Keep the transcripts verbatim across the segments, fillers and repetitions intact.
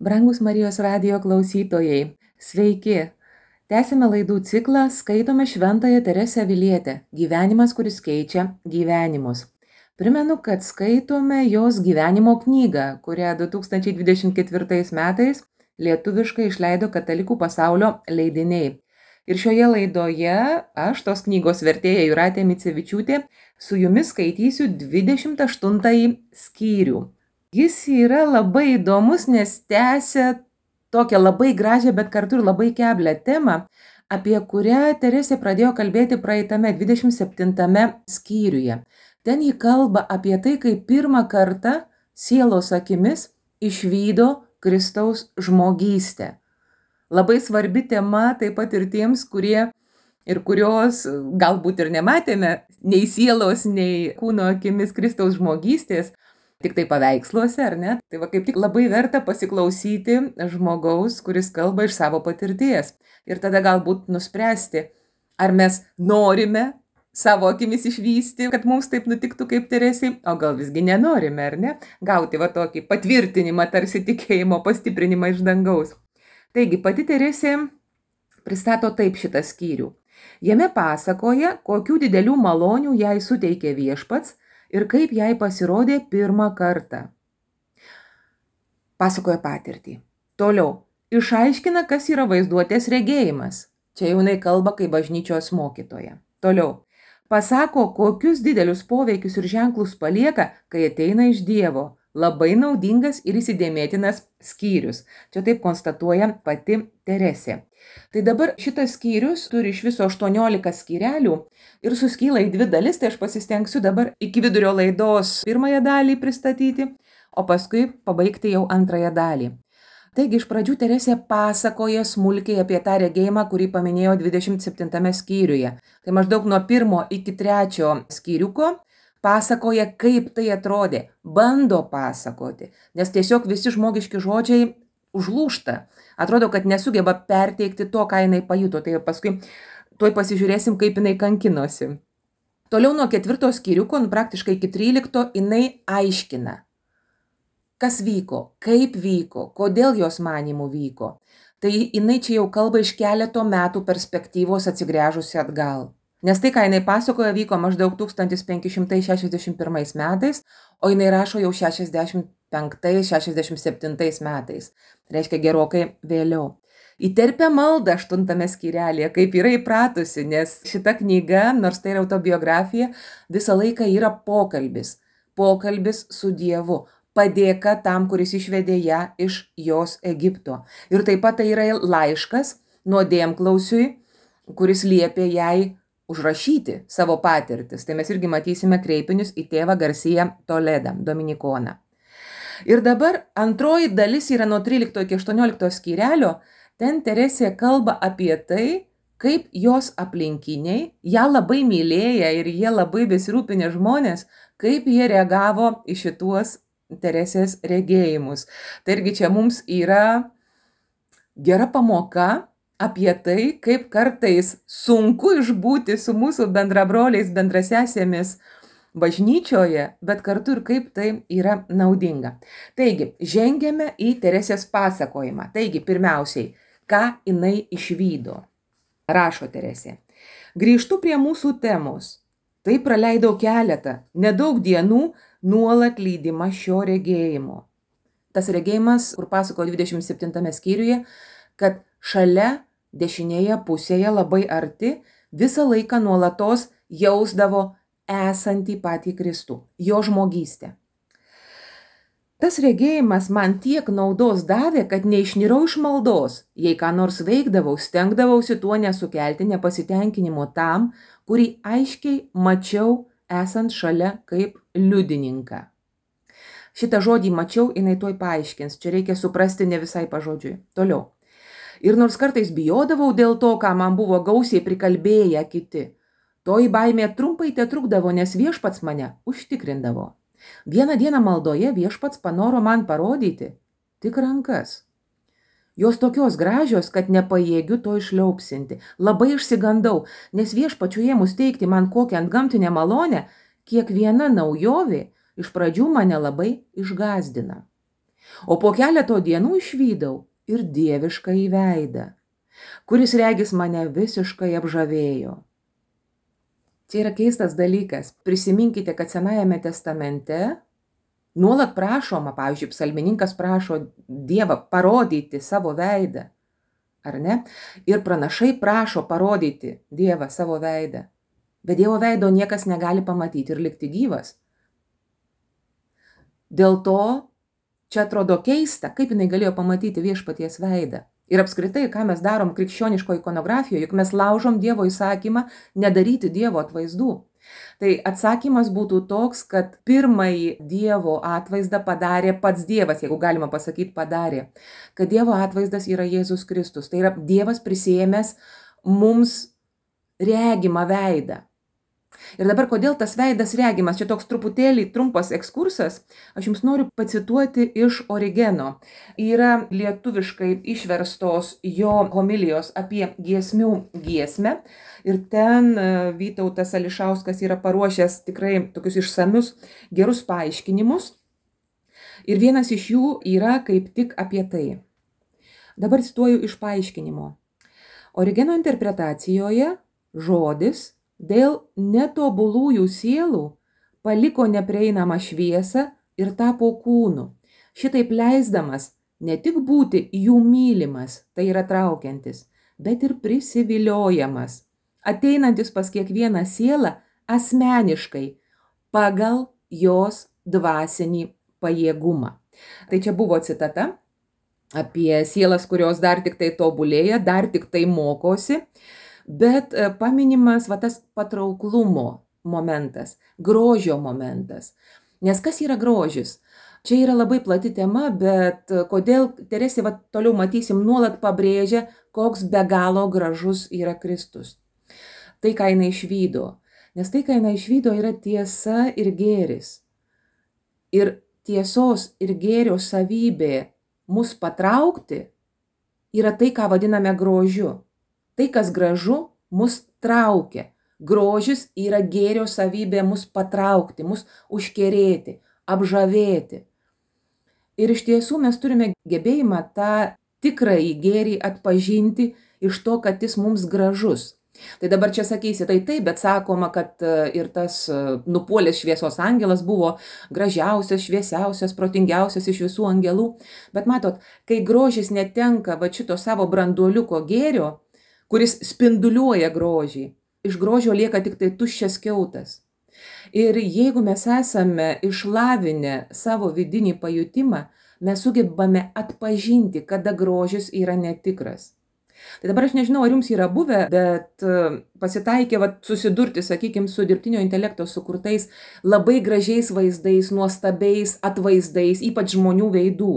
Brangus Marijos radijo klausytojai, sveiki! Tęsime laidų ciklą Skaitome Šventąją Teresę Avilietę – gyvenimas, kuris keičia gyvenimus. Primenu, kad skaitome jos gyvenimo knygą, kurią du tūkstančiai dvidešimt ketvirtais metais lietuviškai išleido Katalikų pasaulio leidiniai. Ir šioje laidoje aš, tos knygos vertėja Jūratė Micevičiūtė, su jumis skaitysiu dvidešimt aštuntąjį skyrių. Jis yra labai įdomus, nes tęsia tokią labai gražią, bet kartu ir labai keblią temą, apie kurią Teresė pradėjo kalbėti praeitame dvidešimt septintame skyriuje. Ten ji kalba apie tai, kaip pirmą kartą sielos akimis išvydo Kristaus žmogystę. Labai svarbi tema taip pat ir tiems, kurie ir kurios galbūt ir nematėme nei sielos, nei kūno akimis Kristaus žmogystės, tik tai paveiksluose, ar ne? Tai va kaip tik labai verta pasiklausyti žmogaus, kuris kalba iš savo patirties. Ir tada galbūt nuspręsti, ar mes norime savo akimis išvysti, kad mums taip nutiktų kaip Teresei, o gal visgi nenorime, ar ne? Gauti va tokį patvirtinimą, tarsi tikėjimo pastiprinimą iš dangaus. Taigi, pati Teresė pristato taip šitą skyrių. Jame pasakoja, kokių didelių malonių jai suteikė Viešpats ir kaip jai pasirodė pirmą kartą. Pasakoja patirtį. Toliau. Išaiškina, kas yra vaizduotės regėjimas. Čia jau jinai kalba kaip bažnyčios mokytoja. Toliau. Pasako, kokius didelius poveikius ir ženklus palieka, kai ateina iš Dievo. Labai naudingas ir įsidėmėtinas skyrius. Čia taip konstatuoja pati Teresė. Tai dabar šitas skyrius turi iš viso aštuoniolika skyrelių ir suskyla į dvi dalis, tai aš pasistengsiu dabar iki vidurio laidos pirmąją dalį pristatyti, o paskui pabaigti jau antrąją dalį. Taigi iš pradžių Teresė pasakoja smulkiai apie tą regėjimą, kurį paminėjo dvidešimt septintame skyriuje. Tai maždaug nuo pirmo iki trečio skyriuko pasakoja, kaip tai atrodė, bando pasakoti, nes tiesiog visi žmogiški žodžiai užlūžta. Atrodo, kad nesugeba perteikti to, ką jinai pajuto, tai paskui tuoj pasižiūrėsim, kaip jinai kankinosi. Toliau nuo ketvirto skyriuko, nu, praktiškai iki trylikto, jinai aiškina, kas vyko, kaip vyko, kodėl jos manymų vyko. Tai jinai čia jau kalba iš keleto metų perspektyvos atsigręžusi atgal. Nes tai, ką jinai pasakoja, vyko maždaug tūkstantis penki šimtai šešiasdešimt pirmais metais, o jinai rašo jau šešiasdešimt penktais šešiasdešimt septintais metais. Tai reiškia gerokai vėliau. Įterpia maldą aštuntame skyrelėje, kaip yra įpratusi, nes šita knyga, nors tai yra autobiografija, visą laiką yra pokalbis. Pokalbis su Dievu. Padėka tam, kuris išvedė ją iš jos Egipto. Ir taip pat tai yra laiškas nuodėmklausiui, kuris liepė jai užrašyti savo patirtis. Tai mes irgi matysime kreipinius į tėvą Garcia Toledą, dominikoną. Ir dabar antroji dalis yra nuo trylikto iki aštuoniolikto skyrelio. Ten Teresė kalba apie tai, kaip jos aplinkiniai, ją labai mylėję ir jie labai besirūpinę žmonės, kaip jie reagavo į šituos Teresės regėjimus. Tai irgi čia mums yra gera pamoka apie tai, kaip kartais sunku išbūti su mūsų bendrabroliais, bendrasesėmis bažnyčioje, bet kartu ir kaip tai yra naudinga. Taigi, žengiame į Teresės pasakojimą. Taigi, pirmiausiai, ką jinai išvydo. Rašo Teresė. Grįžtu prie mūsų temos. Tai praleidau keletą, nedaug dienų nuolat lydima šio regėjimo. Tas regėjimas, kur pasakojo dvidešimt septintame skyriuje, kad šalia dešinėje pusėje labai arti visą laiką nuolatos jausdavo esantį patį Kristų, jo žmogystę. Tas regėjimas man tiek naudos davė, kad neišnirau iš maldos, jei ką nors veikdavau, stengdavausi tuo nesukelti nepasitenkinimo tam, kurį aiškiai mačiau esant šalia kaip liudininką. Šitą žodį mačiau, jinai tuoj paaiškins, čia reikia suprasti ne visai pažodžiui. Toliau. Ir nors kartais bijodavau dėl to, ką man buvo gausiai prikalbėję kiti, toji baimė trumpai tetrukdavo, nes Viešpats mane užtikrindavo. Vieną dieną maldoje Viešpats panoro man parodyti tik rankas. Jos tokios gražios, kad nepajėgiu to išliaupsinti. Labai išsigandau, nes Viešpačiu ėmus teikti man kokią antgamtinę malonę, kiekviena naujovė iš pradžių mane labai išgąsdina. O po keleto dienų išvydau ir dieviškąjį veidą, kuris regis mane visiškai apžavėjo. Čia yra keistas dalykas. Prisiminkite, kad Senajame testamente nuolat prašoma, pavyzdžiui, psalmininkas prašo Dievą parodyti savo veidą, ar ne? Ir pranašai prašo parodyti Dievą savo veidą. Bet Dievo veido niekas negali pamatyti ir likti gyvas. Dėl to čia atrodo keista, kaip jinai galėjo pamatyti viešpaties veidą. Ir apskritai, ką mes darom krikščioniško ikonografijoje, juk mes laužom Dievo įsakymą nedaryti Dievo atvaizdų. Tai atsakymas būtų toks, kad pirmąjį Dievo atvaizdą padarė pats Dievas, jeigu galima pasakyti padarė, kad Dievo atvaizdas yra Jėzus Kristus. Tai yra Dievas prisiėmęs mums regimą veidą. Ir dabar, kodėl tas veidas regimas, čia toks truputėlį trumpas ekskursas, aš jums noriu pacituoti iš Origeno. Yra lietuviškai išverstos jo homilijos apie giesmių giesmę ir ten Vytautas Ališauskas yra paruošęs tikrai tokius išsamius gerus paaiškinimus. Ir vienas iš jų yra kaip tik apie tai. Dabar cituoju iš paaiškinimo. Origeno interpretacijoje žodis dėl netobulųjų sielų paliko neprieinamą šviesą ir tapo kūnu, šitaip leisdamas ne tik būti jų mylimas, tai yra traukiantis, bet ir prisiviliojamas, ateinantis pas kiekvieną sielą asmeniškai pagal jos dvasinį pajėgumą. Tai čia buvo citata apie sielas, kurios dar tik tai tobulėja, dar tik tai mokosi. Bet paminimas va tas patrauklumo momentas, grožio momentas. Nes kas yra grožis? Čia yra labai plati tema, bet kodėl Teresė, va toliau matysim, nuolat pabrėžia, koks be galo gražus yra Kristus. Tai, ką jinai išvydo. Nes tai, ką jinai išvydo, yra tiesa ir gėris. Ir tiesos ir gėrio savybė mus patraukti yra tai, ką vadiname grožiu. Tai, kas gražu, mus traukia. Grožis yra gėrio savybė mus patraukti, mus užkerėti, apžavėti. Ir iš tiesų mes turime gebėjimą tą tikrąjį gėrį atpažinti iš to, kad jis mums gražus. Tai dabar čia sakysi, tai taip, bet sakoma, kad ir tas nupuolęs šviesos angelas buvo gražiausias, šviesiausias, protingiausias iš visų angelų. Bet matot, kai grožis netenka va šito savo branduoliuko gėrio, kuris spinduliuoja grožį, iš grožio lieka tik tai tuščias kiautas. Ir jeigu mes esame išlavinę savo vidinį pajutimą, mes sugebame atpažinti, kada grožis yra netikras. Tai dabar aš nežinau, ar jums yra buvę, bet pasitaikė va, susidurti, sakykime, su dirbtinio intelekto sukurtais labai gražiais vaizdais, nuostabiais atvaizdais, ypač žmonių veidų.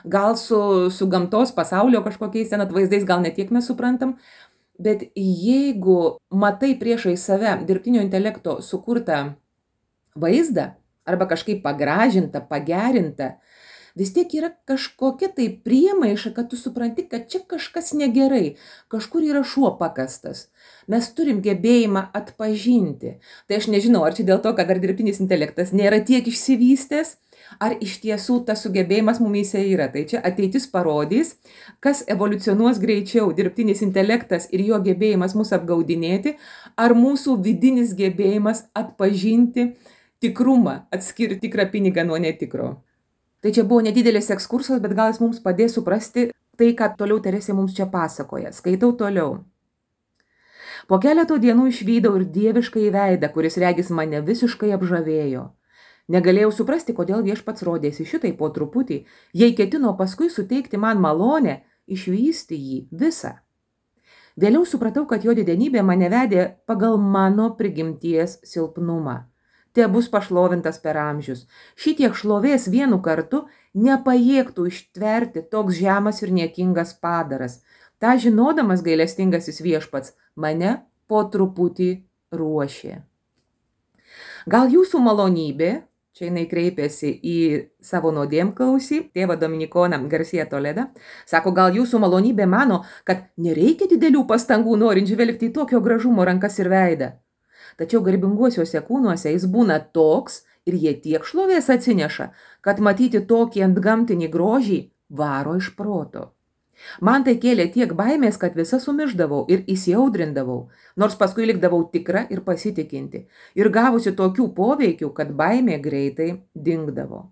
Gal su, su gamtos pasaulio kažkokiais ten atvaizdais, gal netiek mes suprantam, bet jeigu matai priešai save dirbtinio intelekto sukurtą vaizdą arba kažkaip pagražintą, pagerintą, vis tiek yra kažkokia tai priemaiša, kad tu supranti, kad čia kažkas negerai, kažkur yra šuo pakastas. Mes turim gebėjimą atpažinti. Tai aš nežinau, ar čia dėl to, kad dar dirbtinis intelektas nėra tiek išsivystęs, ar iš tiesų tas sugebėjimas mumyse yra. Tai čia ateitis parodys, kas evoliucionuos greičiau, dirbtinis intelektas ir jo gebėjimas mus apgaudinėti, ar mūsų vidinis gebėjimas atpažinti tikrumą, atskirti tikrą pinigą nuo netikro. Tai čia buvo nedidelis ekskursas, bet gal jis mums padės suprasti tai, ką toliau Teresė mums čia pasakoja. Skaitau toliau. Po keleto dienų išvydau ir dieviškai veidą, kuris regis mane visiškai apžavėjo. Negalėjau suprasti, kodėl viešpats rodėsi šitai po truputį, jei ketino paskui suteikti man malonę išvysti jį visą. Vėliau supratau, kad jo didenybė mane vedė pagal mano prigimties silpnumą. Te bus pašlovintas per amžius. Šitiek šlovės vienu kartu nepajėgtų ištverti toks žemas ir niekingas padaras. Ta žinodamas gailestingasis viešpats mane po truputį ruošė. Gal jūsų malonybė, čia jinai kreipėsi į savo nuodėmklausį, tėvą Dominikoną Garcia Toledą, sako, gal jūsų malonybė mano, kad nereikia didelių pastangų norint žvelgti į tokio gražumo rankas ir veidą. Tačiau garbinguosiuose kūnuose jis būna toks ir jie tiek šlovės atsineša, kad matyti tokį antgamtinį grožį varo iš proto. Man tai kėlė tiek baimės, kad visa sumišdavau ir įsiaudrindavau, nors paskui likdavau tikra ir pasitikinti, ir gavusi tokių poveikių, kad baimė greitai dingdavo.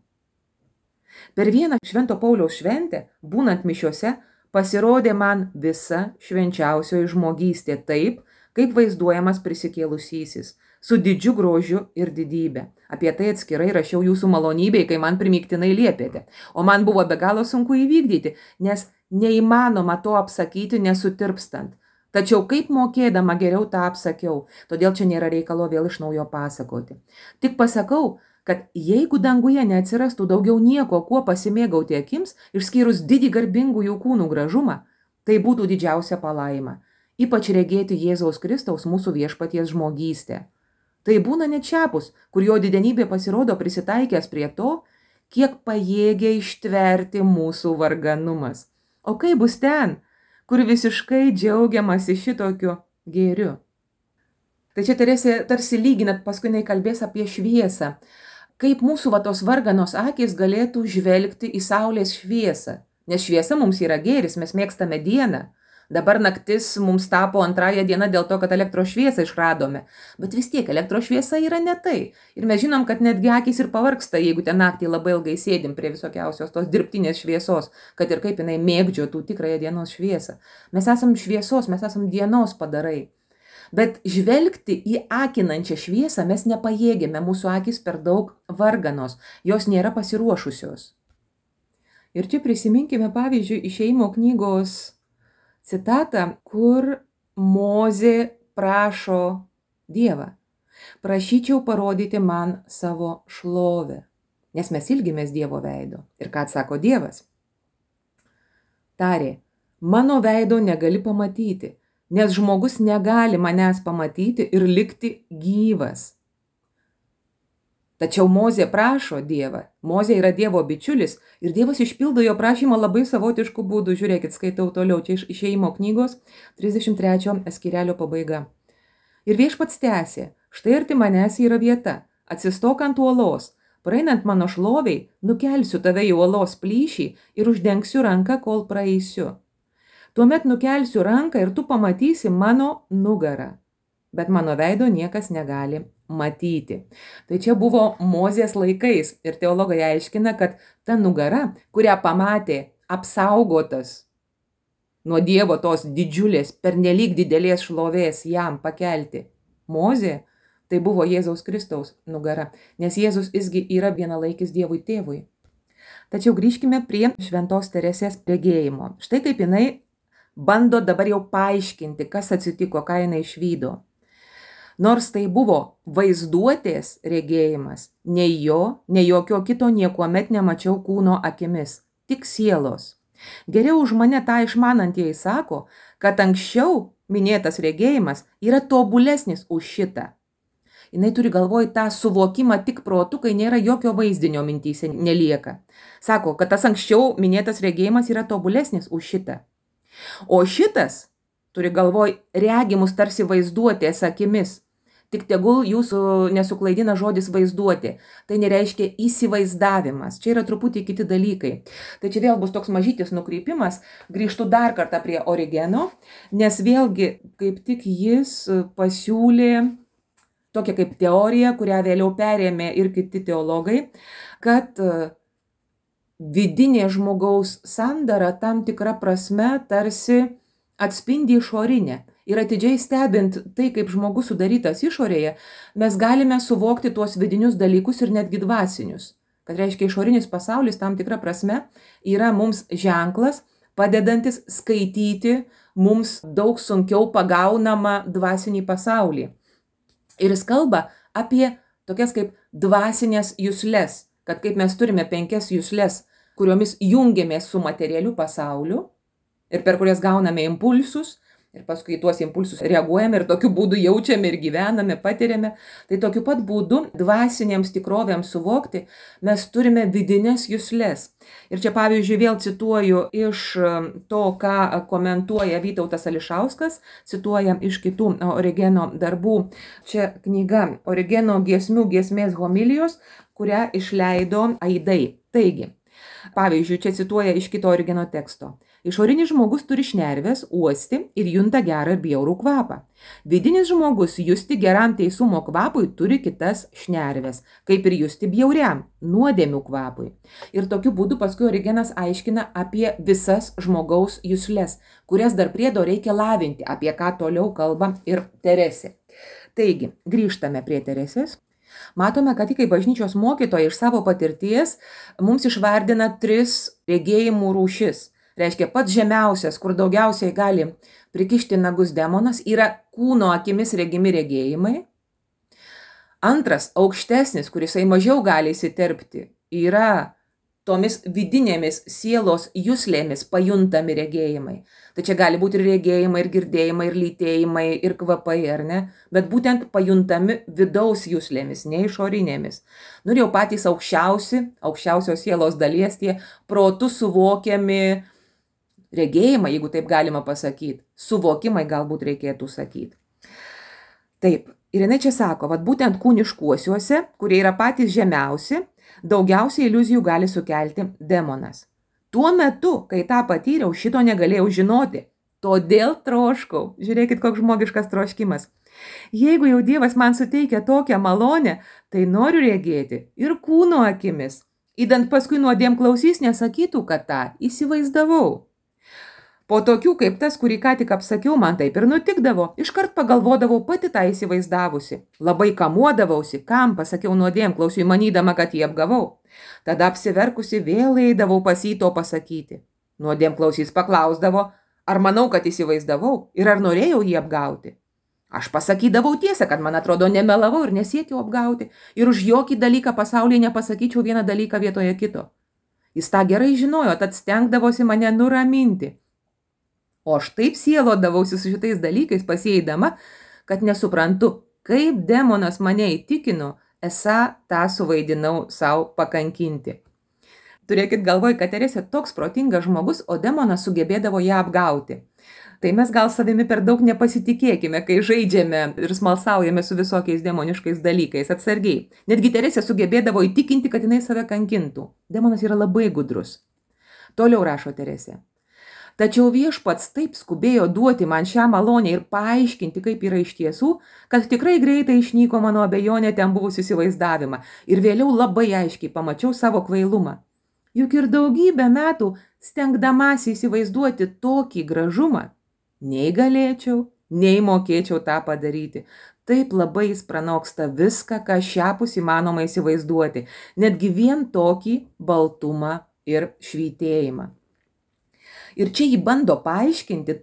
Per vieną Švento Pauliaus šventę, būnant mišiose, pasirodė man visa švenčiausioji žmogystė taip, kaip vaizduojamas prisikėlusysis, su didžiu grožiu ir didybė. Apie tai atskirai rašiau jūsų malonybei, kai man primygtinai liepėte, o man buvo be galo sunku įvykdyti, nes neįmanoma to apsakyti nesutirpstant. Tačiau kaip mokėdama geriau tą apsakiau, todėl čia nėra reikalo vėl iš naujo pasakoti. Tik pasakau, kad jeigu danguje neatsirastų daugiau nieko, kuo pasimėgauti akims, išskyrus didį garbingųjų kūnų gražumą, tai būtų didžiausia palaima, ypač regėti Jėzaus Kristaus mūsų viešpaties žmogystę. Tai būna net šiapus, kur jo didenybė pasirodo prisitaikęs prie to, kiek pajėgia ištverti mūsų varganumas. O kaip bus ten, kur visiškai džiaugiamasi šitokiu gėriu? Tai čia Teresė tarsi lyginat, paskui jinai kalbės apie šviesą. Kaip mūsų va tos varganos akys galėtų žvelgti į saulės šviesą. Nes šviesa mums yra gėris, mes mėgstame dieną. Dabar naktis mums tapo antrąją dieną dėl to, kad elektros šviesą išradome. Bet vis tiek elektros šviesa yra ne tai. Ir mes žinom, kad netgi akys ir pavargsta, jeigu ten naktį labai ilgai sėdim prie visokiausios tos dirbtinės šviesos, kad ir kaip jinai mėgdžiotų tikrąją dienos šviesą. Mes esam šviesos, mes esam dienos padarai. Bet žvelgti į akinančią šviesą mes nepajėgėme, mūsų akys per daug varganos, jos nėra pasiruošusios. Ir čia prisiminkime pavyzdžiui Išėjimo knygos citatą, kur Mozė prašo Dievą. Prašyčiau parodyti man savo šlovę, nes mes ilgimės Dievo veido. Ir ką atsako Dievas? Tarė, mano veido negali pamatyti, nes žmogus negali manęs pamatyti ir likti gyvas. Tačiau Mozė prašo Dievą. Mozė yra Dievo bičiulis ir Dievas išpildo jo prašymą labai savotišku būdu. Žiūrėkit, skaitau toliau, čia iš Išėjimo knygos trisdešimt trečio skyrelio pabaiga. Ir viešpats tęsė, štai arti manęs yra vieta, atsistok ant uolos, praeinant mano šloviai, nukelsiu tave į uolos plyšį ir uždengsiu ranką, kol praeisiu. Tuomet nukelsiu ranką ir tu pamatysi mano nugarą, bet mano veido niekas negali matyti. Tai čia buvo Mozės laikais ir teologai aiškina, kad ta nugara, kurią pamatė apsaugotas nuo Dievo tos didžiulės, pernelyg didelės šlovės jam pakelti Mozė, tai buvo Jėzaus Kristaus nugara, nes Jėzus isgi yra vienalaikis Dievui tėvui. Tačiau grįžkime prie šventos Teresės regėjimo. Štai kaip jinai bando dabar jau paaiškinti, kas atsitiko, ką jinai išvydo. Nors tai buvo vaizduotės regėjimas, nei jo, nei jokio kito niekuomet nemačiau kūno akimis, tik sielos. Geriau už mane tą išmanantieji sako, kad anksčiau minėtas regėjimas yra tobulesnis už šitą. Jinai turi galvoj tą suvokimą tik protu, kai nėra jokio vaizdinio mintyse nelieka. Sako, kad tas anksčiau minėtas regėjimas yra tobulesnis už šitą. O šitas turi galvoj regimus tarsi vaizduotės akimis. Tik tegul jūsų nesuklaidina žodis vaizduoti. Tai nereiškia įsivaizdavimas. Čia yra truputį kiti dalykai. Tai čia vėl bus toks mažytis nukreipimas. Grįžtu dar kartą prie Origeno, nes vėlgi kaip tik jis pasiūlė tokią kaip teoriją, kurią vėliau perėmė ir kiti teologai, kad vidinė žmogaus sandara tam tikra prasme tarsi atspindi išorinę. Ir atidžiai stebint tai, kaip žmogus sudarytas išorėje, mes galime suvokti tuos vidinius dalykus ir netgi dvasinius. Kad reiškia, išorinis pasaulis tam tikra prasme yra mums ženklas, padedantis skaityti mums daug sunkiau pagaunamą dvasinį pasaulį. Ir jis kalba apie tokias kaip dvasinės jusles, kad kaip mes turime penkias jusles, kuriomis jungiamės su materialiu pasauliu ir per kurias gauname impulsus, ir paskui tuos impulsus reaguojame ir tokiu būdu jaučiame ir gyvename, patiriame. Tai tokiu pat būdu dvasinėms tikrovėms suvokti mes turime vidinės jusles. Ir čia pavyzdžiui vėl cituoju iš to, ką komentuoja Vytautas Ališauskas, cituoja iš kitų Origeno darbų. Čia knyga Origeno giesmių giesmės homilijos, kurią išleido Aidai. Taigi, pavyzdžiui, čia cituoja iš kito origino teksto. Išorinis žmogus turi šnerves, uosti ir junta gerą ir bjaurų kvapą. Vidinis žmogus justi geram teisumo kvapui turi kitas šnerves, kaip ir justi bjauriam, nuodėmių kvapui. Ir tokiu būdu paskui Origenas aiškina apie visas žmogaus jusles, kurias dar priedo reikia lavinti, apie ką toliau kalba ir Teresė. Taigi, grįžtame prie Teresės. Matome, kad ji kaip bažnyčios mokytoja iš savo patirties mums išvardina tris regėjimų rūšis. Reiškia, pats žemiausias, kur daugiausiai gali prikišti nagus demonas, yra kūno akimis regimi regėjimai. Antras, aukštesnis, kuris mažiau gali įsiterpti, yra tomis vidinėmis sielos juslėmis pajuntami regėjimai. Tai čia gali būti ir regėjimai, ir girdėjimai, ir lytėjimai, ir kvapai, ar ne? Bet būtent pajuntami vidaus juslėmis, ne išorinėmis. Nu ir jau patys aukščiausi, aukščiausios sielos dalies tie protų suvokiami regėjimai, jeigu taip galima pasakyti, suvokimai galbūt reikėtų sakyti. Taip, ir jinai čia sako, vad būtent kūniškuosiuose, kurie yra patys žemiausi, daugiausiai iliuzijų gali sukelti demonas. Tuo metu, kai tą patyriau, šito negalėjau žinoti, todėl troškau. Žiūrėkit, koks žmogiškas troškimas. Jeigu jau Dievas man suteikia tokią malonę, tai noriu regėti ir kūno akimis. Įdant paskui nuodėm klausys nesakytų, kad tą įsivaizdavau. Po tokių kaip tas, kurį ką tik apsakiau, man taip ir nutikdavo. Iškart pagalvodavau pati tą įsivaizdavusi. Labai kamuodavausi, kam pasakiau nuodėm klausiui, manydama, kad jį apgavau. Tada apsiverkusi vėl eidavau pas jį to pasakyti. Nuodėm klausys paklausdavo, ar manau, kad įsivaizdavau ir ar norėjau jį apgauti. Aš pasakydavau tiesą, kad man atrodo nemelavau ir nesiekiau apgauti ir už jokį dalyką pasaulyje nepasakyčiau vieną dalyką vietoje kito. Jis tą gerai žinojo, tad stengdavosi mane nuraminti. O aš taip sielodavausi su šitais dalykais pasieidama, kad nesuprantu, kaip demonas mane įtikino, esą tą suvaidinau savo pakankinti. Turėkit galvoj, kad Teresė toks protingas žmogus, o demonas sugebėdavo ją apgauti. Tai mes gal savimi per daug nepasitikėkime, kai žaidžiame ir smalsaujame su visokiais demoniškais dalykais, atsargiai. Netgi Teresė sugebėdavo įtikinti, kad jinai save kankintų. Demonas yra labai gudrus. Toliau rašo Teresė. Tačiau viešpats taip skubėjo duoti man šią malonę ir paaiškinti, kaip yra iš tiesų, kad tikrai greitai išnyko mano abejonė ten buvusį įsivaizdavimą ir vėliau labai aiškiai pamačiau savo kvailumą. Juk ir daugybę metų stengdamasi įsivaizduoti tokį gražumą, nei galėčiau, nei mokėčiau tą padaryti. Taip labai jis pranoksta viską, ką šiapus įmanoma įsivaizduoti, netgi vien tokį baltumą ir švytėjimą. Ir čia jį bando paaiškinti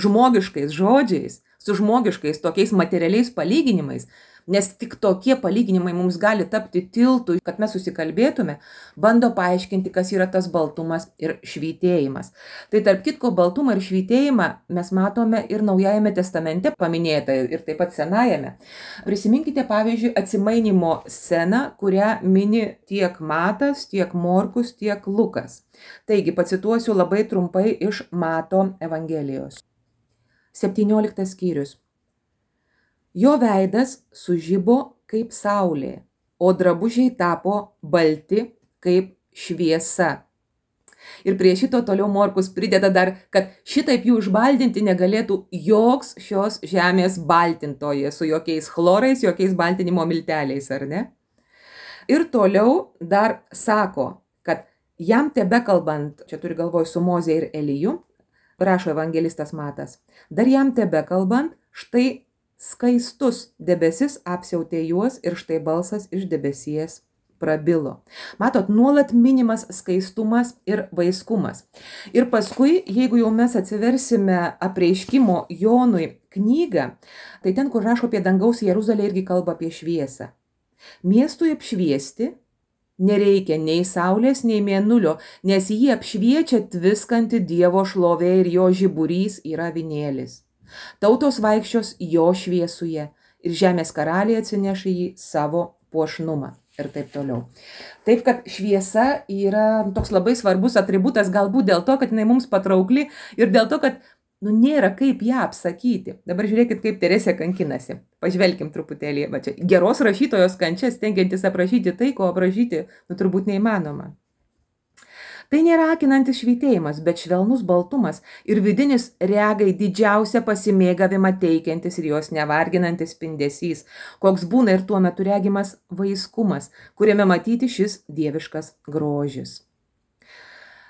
žmogiškais žodžiais, su žmogiškais tokiais materialiais palyginimais, nes tik tokie palyginimai mums gali tapti tiltu, kad mes susikalbėtume, bando paaiškinti, kas yra tas baltumas ir švytėjimas. Tai tarp kitko baltumą ir švytėjimą mes matome ir Naujajame testamente paminėta ir taip pat Senajame. Prisiminkite, pavyzdžiui, atsimainimo sceną, kurią mini tiek Matas, tiek Morkus, tiek Lukas. Taigi, pacituosiu labai trumpai iš Mato Evangelijos. septynioliktas skyrius. Jo veidas sužibo kaip saulė, o drabužiai tapo balti kaip šviesa. Ir prie šito toliau Morkus prideda dar, kad šitaip jų išbaldinti negalėtų joks šios žemės baltintojas su jokiais chlorais, jokiais baltinimo milteliais, ar ne? Ir toliau dar sako, kad jam tebekalbant, čia turi galvoj su Moze ir Eliju, rašo evangelistas Matas, dar jam tebekalbant, štai skaistus debesis apsiautė juos ir štai balsas iš debesies prabilo. Matot, nuolat minimas skaistumas ir vaiskumas. Ir paskui, jeigu jau mes atsiversime apreiškimo Jonui knygą, tai ten, kur rašo apie dangaus Jeruzalę, irgi kalba apie šviesą. Miestui apšviesti nereikia nei saulės, nei mėnulio, nes jį apšviečia tviskanti Dievo šlovė ir jo žiburys yra avinėlis. Tautos vaikščios jo šviesuje ir žemės karaliai atsineš į jį savo puošnumą ir taip toliau. Taip, kad šviesa yra toks labai svarbus atributas, galbūt dėl to, kad jinai mums patraukli ir dėl to, kad nu nėra kaip ją apsakyti. Dabar žiūrėkit, kaip Teresė kankinasi. Pažvelkim truputėlį, va čia geros rašytojos kančias, stengiantis aprašyti tai, ko aprašyti, nu turbūt neįmanoma. Tai nėra akinantis švytėjimas, bet švelnus baltumas ir vidinis regai didžiausią pasimėgavimą teikiantis ir jos nevarginantis spindesys, koks būna ir tuo metu regimas vaiskumas, kuriame matyti šis dieviškas grožis.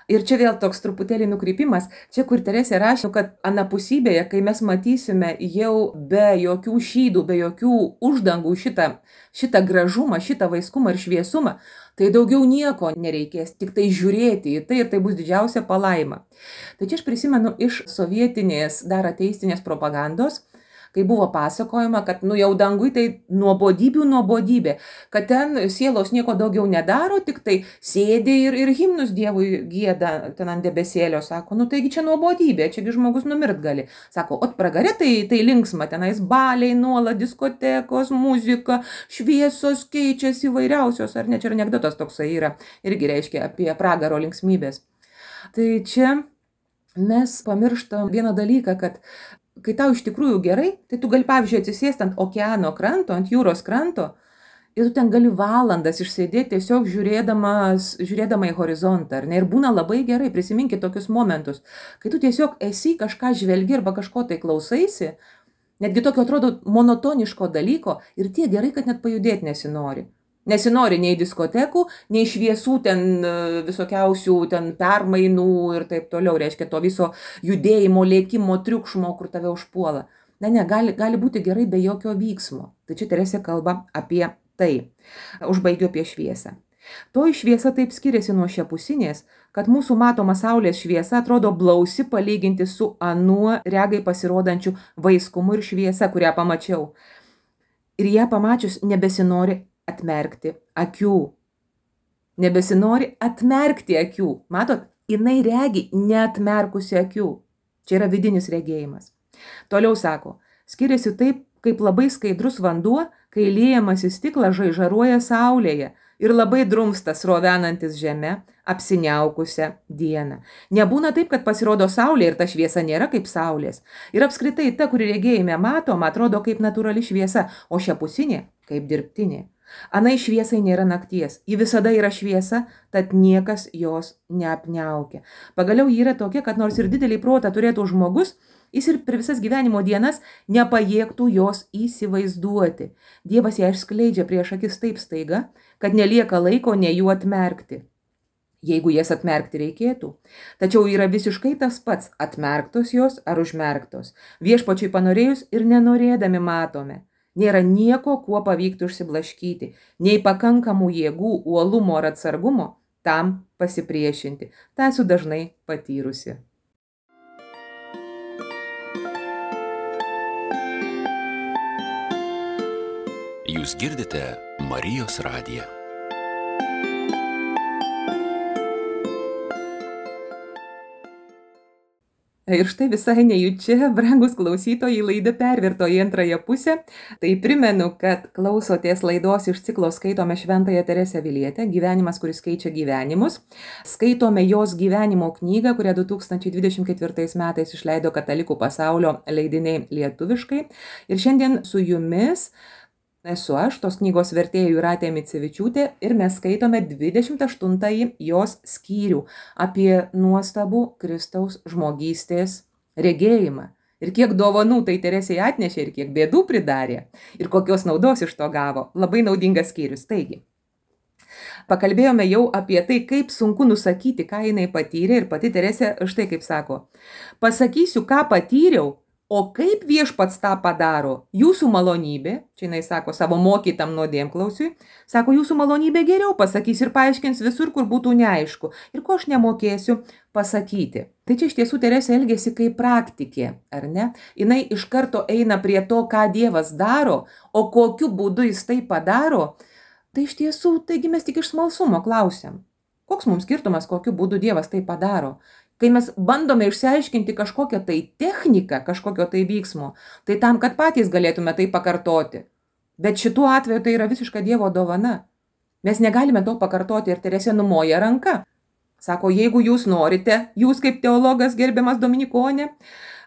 Ir čia vėl toks truputėlį nukrypimas, čia kur Teresė rašė, kad anapusybėje, kai mes matysime jau be jokių šydų, be jokių uždangų šitą, šitą gražumą, šitą vaiskumą ir šviesumą, tai daugiau nieko nereikės, tik tai žiūrėti į tai ir tai bus didžiausia palaima. Tai čia aš prisimenu iš sovietinės dar ateistinės propagandos, kai buvo pasakojama, kad nu jau dangui tai nuobodybių nuobodybė, kad ten sielos nieko daugiau nedaro, tik tai sėdi ir, ir himnus Dievui gieda ten ant debesėlio, sako, nu taigi čia nuobodybė, čiagi žmogus numirt gali. Sako, ot pragare tai, tai linksma, tenais baliai, nuolat, diskotekos, muzika, šviesos keičiasi įvairiausios, ar ne, čia anekdotas toksai yra, irgi reiškia apie pragaro linksmybės. Tai čia mes pamirštam vieną dalyką, kad kai tau iš tikrųjų gerai, tai tu gali, pavyzdžiui, atsisėsti ant okeano kranto, ant jūros kranto ir tu ten gali valandas išsėdėti tiesiog žiūrėdamas, žiūrėdama į horizontą, ar ne? Ir būna labai gerai, prisiminkit tokius momentus, kai tu tiesiog esi kažką žvelgi arba kažko tai klausaisi, netgi tokio atrodo monotoniško dalyko ir tiek gerai, kad net pajudėti nesinori. Nesinori nei diskotekų, nei šviesų ten visokiausių ten permainų ir taip toliau, reiškia to viso judėjimo, lėkimo, triukšmo, kur tave užpuola. Ne, ne, gali, gali būti gerai be jokio vyksmo. Tai čia Teresė kalba apie tai. Užbaigiu apie šviesą. Toji šviesa taip skiriasi nuo šiapusinės, kad mūsų matoma saulės šviesa atrodo blausi palyginti su anuo regai pasirodančiu vaiskumu ir šviesa, kurią pamačiau. Ir ją pamačius nebesinori atmerkti akių. Nebesinori atmerkti akių. Matot, jinai regi neatmerkusi akių. Čia yra vidinis regėjimas. Toliau sako, skiriasi taip, kaip labai skaidrus vanduo, kai liejamas į stiklą žaižaruoja saulėje ir labai drumsta srovenantis žeme, apsiniaukusią dieną. Nebūna taip, kad pasirodo saulė ir ta šviesa nėra kaip saulės. Ir apskritai ta, kuri regėjime matoma, atrodo kaip natūrali šviesa, o šiapusinė kaip dirbtinė. Anai šviesai nėra nakties, ji visada yra šviesa, tad niekas jos neapniaukia. Pagaliau ji yra tokia, kad nors ir didelį protą turėtų žmogus, jis ir per visas gyvenimo dienas nepajėgtų jos įsivaizduoti. Dievas ją išskleidžia prieš akis taip staiga, kad nelieka laiko ne jų atmerkti, jeigu jas atmerkti reikėtų. Tačiau yra visiškai tas pats, atmerktos jos ar užmerktos. Viešpačiui panorėjus ir nenorėdami matome. Nėra nieko, kuo pavyktų užsiblaškyti, nei pakankamų jėgų, uolumo ar atsargumo tam pasipriešinti. Ta esu dažnai patyrusi. Jūs girdite Marijos radiją. Ir štai visai nejučia, brangus klausytojai, laida pervirto į antrąją pusę. Tai primenu, kad klausotės laidos iš ciklo Skaitome Šventąją Teresę Avilietę, gyvenimas, kuris keičia gyvenimus. Skaitome jos gyvenimo knygą, kurią du tūkstančiai dvidešimt ketvirtais metais išleido Katalikų pasaulio leidiniai lietuviškai. Ir šiandien su jumis esu aš, tos knygos vertėja Jūratė Micevičiūtė, ir mes skaitome dvidešimt aštuntąjį jos skyrių apie nuostabų Kristaus žmogystės regėjimą. Ir kiek dovanų tai Teresei atnešė, ir kiek bėdų pridarė, ir kokios naudos iš to gavo. Labai naudingas skyrius. Taigi, pakalbėjome jau apie tai, kaip sunku nusakyti, ką jinai patyrė, ir pati Teresė štai kaip sako: pasakysiu, ką patyriau, o kaip viešpats tą padaro, jūsų malonybė, čia jinai sako savo mokytam nuodėmklausiui, sako, jūsų malonybė geriau pasakys ir paaiškins visur, kur būtų neaišku, ir ko aš nemokėsiu pasakyti. Tai čia iš tiesų Teresė elgėsi kaip praktikė, ar ne? Jinai iš karto eina prie to, ką Dievas daro, o kokiu būdu jis tai padaro. Tai iš tiesų, taigi mes tik iš smalsumo klausiam. Koks mums skirtumas, kokiu būdu Dievas tai padaro? Kai mes bandome išsiaiškinti kažkokią tai techniką, kažkokio tai vyksmo, tai tam, kad patys galėtume tai pakartoti. Bet šituo atveju tai yra visiška Dievo dovana. Mes negalime to pakartoti, ir Teresė numoja ranka. Sako, jeigu jūs norite, jūs kaip teologas gerbiamas Dominikonė,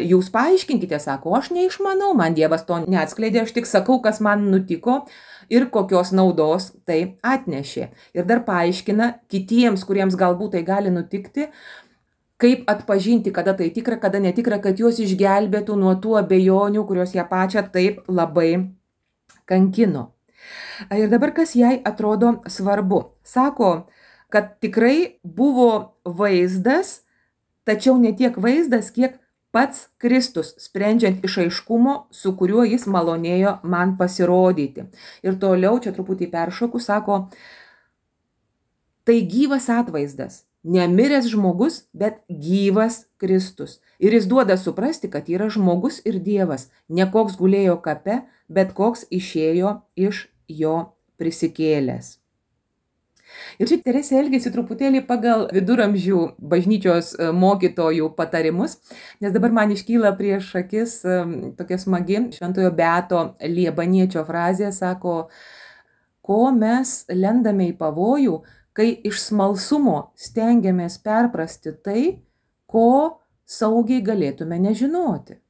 jūs paaiškinkite, sako, aš neišmanau, man Dievas to neatskleidė, aš tik sakau, kas man nutiko ir kokios naudos tai atnešė. Ir dar paaiškina kitiems, kuriems galbūt tai gali nutikti, kaip atpažinti, kada tai tikra, kada netikra, kad juos išgelbėtų nuo tų abejonių, kurios ją pačią taip labai kankino. Ir dabar kas jai atrodo svarbu. Sako, kad tikrai buvo vaizdas, tačiau ne tiek vaizdas, kiek pats Kristus, sprendžiant iš aiškumo, su kuriuo jis malonėjo man pasirodyti. Ir toliau, čia truputį peršoku, sako, tai gyvas atvaizdas. Nemiręs žmogus, bet gyvas Kristus. Ir jis duoda suprasti, kad yra žmogus ir Dievas. Ne koks gulėjo kape, bet koks išėjo iš jo prisikėlęs. Ir čia Teresė elgėsi truputėlį pagal viduramžių bažnyčios mokytojų patarimus, nes dabar man iškyla prieš akis tokia smagi šventojo Beato Liebaniečio frazė, sako, ko mes lendame į pavojų, kai iš smalsumo stengiamės perprasti tai, ko saugiai galėtume nežinoti.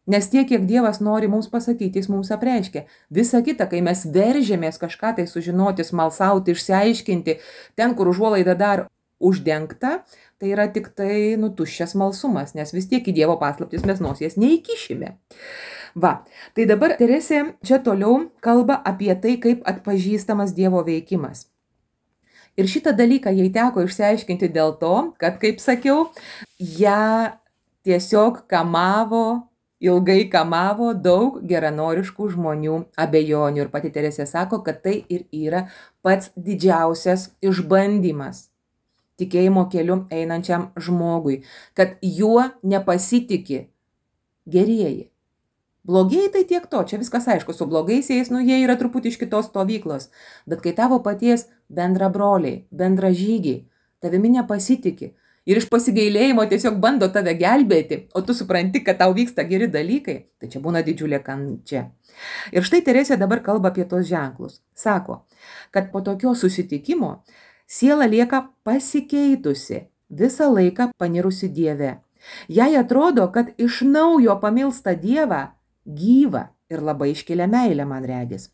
Nes tiek, kiek Dievas nori mums pasakyti, jis mums apreiškia. Visa kita, kai mes veržėmės kažką tai sužinoti, smalsauti, išsiaiškinti, ten, kur užuolaida dar uždengta, tai yra tik tai nutuščias smalsumas, nes vis tiek į Dievo paslaptis mes nosies neįkišime. Va, tai dabar Teresė čia toliau kalba apie tai, kaip atpažįstamas Dievo veikimas. Ir šitą dalyką jai teko išsiaiškinti dėl to, kad, kaip sakiau, ją tiesiog kamavo, ilgai kamavo daug geranoriškų žmonių abejonių. Ir pati Teresė sako, kad tai ir yra pats didžiausias išbandymas tikėjimo keliu einančiam žmogui, kad juo nepasitiki gerieji. Blogieji tai tiek to, čia viskas aišku, su blogaisiais, nu jie yra truputį iš kitos stovyklos, bet kai tavo paties bendra broliai, bendra žygiai, tavimi nepasitiki ir iš pasigailėjimo tiesiog bando tave gelbėti, o tu supranti, kad tau vyksta geri dalykai, tai čia būna didžiulė kančia. Ir štai Teresė dabar kalba apie tos ženklus. Sako, kad po tokio susitikimo siela lieka pasikeitusi, visą laiką panirusi Dieve. Jai atrodo, kad iš naujo pamilsta Dievą, gyvą ir labai iškilę meilę, man regis.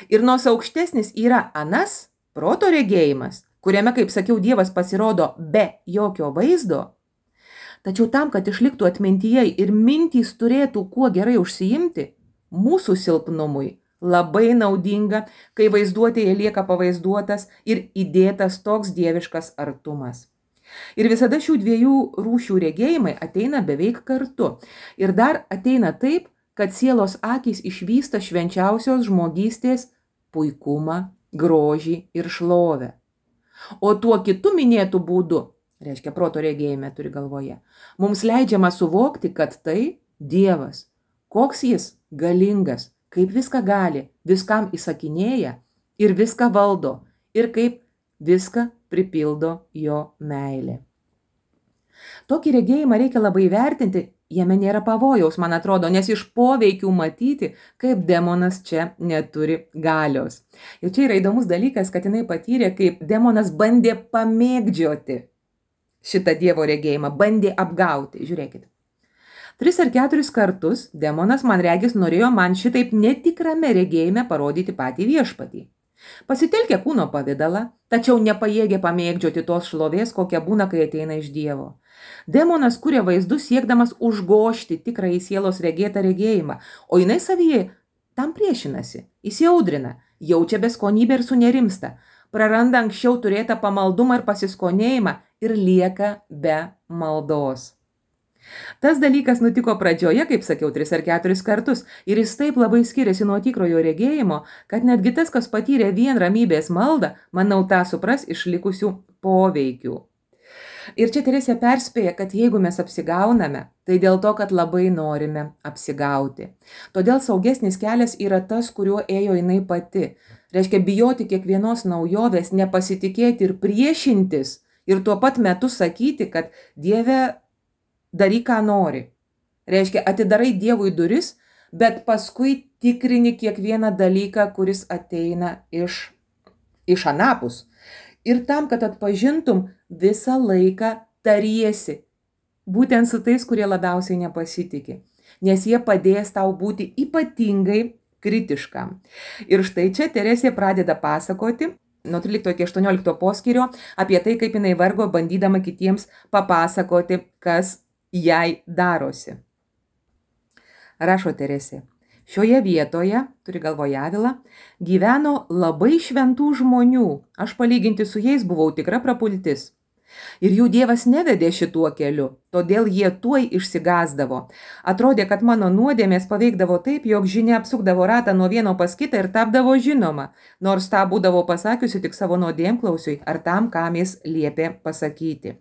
Ir nors aukštesnis yra anas, proto regėjimas, kuriame, kaip sakiau, Dievas pasirodo be jokio vaizdo, tačiau tam, kad išliktų atmintyje ir mintys turėtų kuo gerai užsiimti, mūsų silpnumui labai naudinga, kai vaizduotėje lieka pavaizduotas ir įdėtas toks dieviškas artumas. Ir visada šių dviejų rūšių regėjimai ateina beveik kartu. Ir dar ateina taip, kad sielos akys išvysta švenčiausios žmogystės puikumą, grožį ir šlovę. O tuo kitu minėtų būdu, reiškia proto regėjime turi galvoje, mums leidžiama suvokti, kad tai Dievas, koks jis galingas, kaip viską gali, viskam įsakinėja ir viską valdo ir kaip viską pripildo jo meilė. Tokį regėjimą reikia labai vertinti, jame nėra pavojaus, man atrodo, nes iš poveikių matyti, kaip demonas čia neturi galios. Ir čia yra įdomus dalykas, kad jinai patyrė, kaip demonas bandė pamėgdžioti šitą Dievo regėjimą, bandė apgauti. Žiūrėkit. Tris ar keturis kartus demonas, man regis, norėjo man šitaip netikrame regėjime parodyti patį viešpatį. Pasitelkė kūno pavidalą, tačiau nepajėgė pamėgdžioti tos šlovės, kokia būna, kai ateina iš Dievo. Demonas kuria vaizdus siekdamas užgožti tikrąjį sielos regėtą regėjimą, o jinai savyje tam priešinasi, įsiaudrina, jaučia beskonybę ir sunerimsta, praranda anksčiau turėtą pamaldumą ir pasiskonėjimą ir lieka be maldos. Tas dalykas nutiko pradžioje, kaip sakiau, tris ar keturis kartus, ir jis taip labai skiriasi nuo tikrojo regėjimo, kad netgi tas, kas patyrė vien ramybės maldą, manau, tą supras iš likusių poveikių. Ir čia Teresė perspėja, kad jeigu mes apsigauname, tai dėl to, kad labai norime apsigauti. Todėl saugesnis kelias yra tas, kuriuo ėjo jinai pati. Reiškia bijoti kiekvienos naujovės, nepasitikėti ir priešintis ir tuo pat metu sakyti, kad Dieve daryk, ką nori. Reiškia, atidarai Dievui duris, bet paskui tikrini kiekvieną dalyką, kuris ateina iš, iš anapus. Ir tam, kad atpažintum, visą laiką tariesi. Būtent su tais, kurie labiausiai nepasitikė. Nes jie padės tau būti ypatingai kritiškam. Ir štai čia Teresė pradeda pasakoti nuo trylikto iki aštuoniolikto poskyrio apie tai, kaip jinai vargo bandydama kitiems papasakoti, kas jai darosi. Rašo Teresė. Šioje vietoje, turi galvoje Avilą, gyveno labai šventų žmonių. Aš palyginti su jais buvau tikra prapultis. Ir jų Dievas nevedė šituo keliu, todėl jie tuoj išsigąsdavo. Atrodė, kad mano nuodėmės paveikdavo taip, jog žinia apsukdavo ratą nuo vieno pas kitą ir tapdavo žinoma, nors tą būdavo pasakiusi tik savo nuodėmklausiui ar tam, kam jis liepė pasakyti.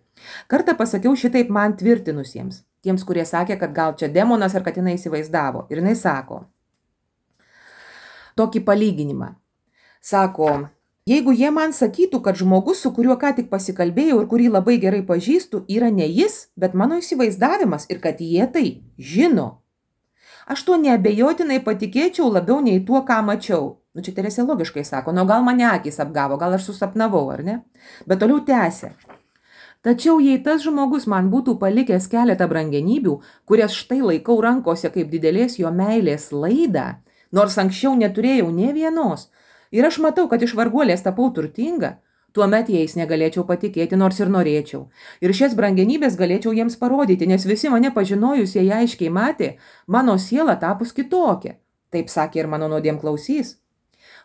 Kartą pasakiau šitaip man tvirtinusiems, tiems, kurie sakė, kad gal čia demonas ar kad jinai įsivaizdavo. Ir jinai sako tokį palyginimą. Sako, jeigu jie man sakytų, kad žmogus, su kuriuo ką tik pasikalbėjau ir kurį labai gerai pažįstu, yra ne jis, bet mano įsivaizdavimas ir kad jie tai žino, aš tuo neabejotinai patikėčiau labiau nei tuo, ką mačiau. Nu, čia Teresė logiškai sako, nu gal mane akys apgavo, gal aš susapnavau, ar ne? Bet toliau tęsia. Tačiau jei tas žmogus man būtų palikęs keletą brangenybių, kurias štai laikau rankose kaip didelės jo meilės laidą, nors anksčiau neturėjau nė vienos, ir aš matau, kad iš varguolės tapau turtinga, tuomet jais negalėčiau patikėti, nors ir norėčiau. Ir šias brangenybės galėčiau jiems parodyti, nes visi mane pažinojusieji aiškiai matė, mano siela tapus kitokia. Taip sakė ir mano nuodėmklausys.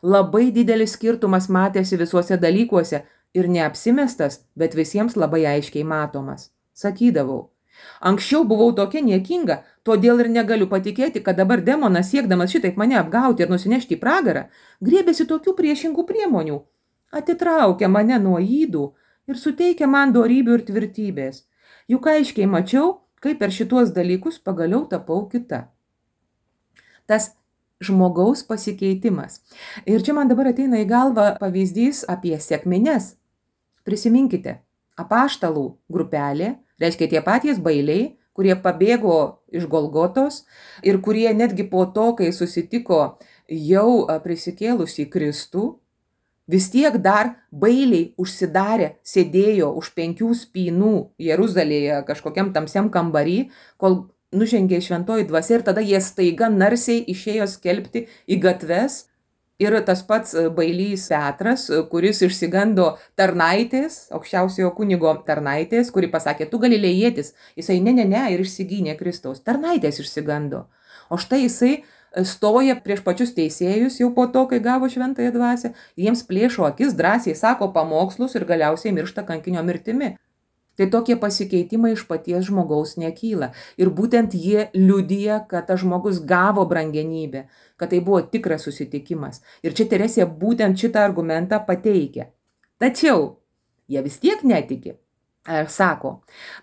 Labai didelis skirtumas matėsi visuose dalykuose ir neapsimestas, bet visiems labai aiškiai matomas. Sakydavau, anksčiau buvau tokia niekinga, todėl ir negaliu patikėti, kad dabar demonas, siekdamas šitaip mane apgauti ir nusinešti į pragarą, griebėsi tokių priešingų priemonių, atitraukia mane nuo ydų ir suteikia man dorybių ir tvirtybės. Juk aiškiai mačiau, kaip per šituos dalykus pagaliau tapau kita. Tas žmogaus pasikeitimas. Ir čia man dabar ateina į galvą pavyzdys apie sekmines. Prisiminkite, apaštalų grupelė, reiškia tie patys bailiai, kurie pabėgo iš Golgotos ir kurie netgi po to, kai susitiko jau prisikėlusį Kristų, vis tiek dar bailiai užsidarę sėdėjo už penkių spynų Jeruzalėje kažkokiam tamsiam kambarį, kol nužengė šventoji dvasia ir tada jie staiga narsiai išėjo skelbti į gatves. Ir tas pats bailys Petras, kuris išsigando tarnaitės, aukščiausiojo kunigo tarnaitės, kuri pasakė, tu galilėjietis, jisai ne, ne, ne ir išsigynė Kristaus. Tarnaitės išsigando. O štai jisai stoja prieš pačius teisėjus jau po to, kai gavo šventąją dvasią, jiems plėšo akis, drąsiai sako pamokslus ir galiausiai miršta kankinio mirtimi. Tai tokie pasikeitimai iš paties žmogaus nekyla. Ir būtent jie liudija, kad tas žmogus gavo brangenybę, kad tai buvo tikras susitikimas. Ir čia Teresė būtent šitą argumentą pateikia. Tačiau jie vis tiek netiki. Sako,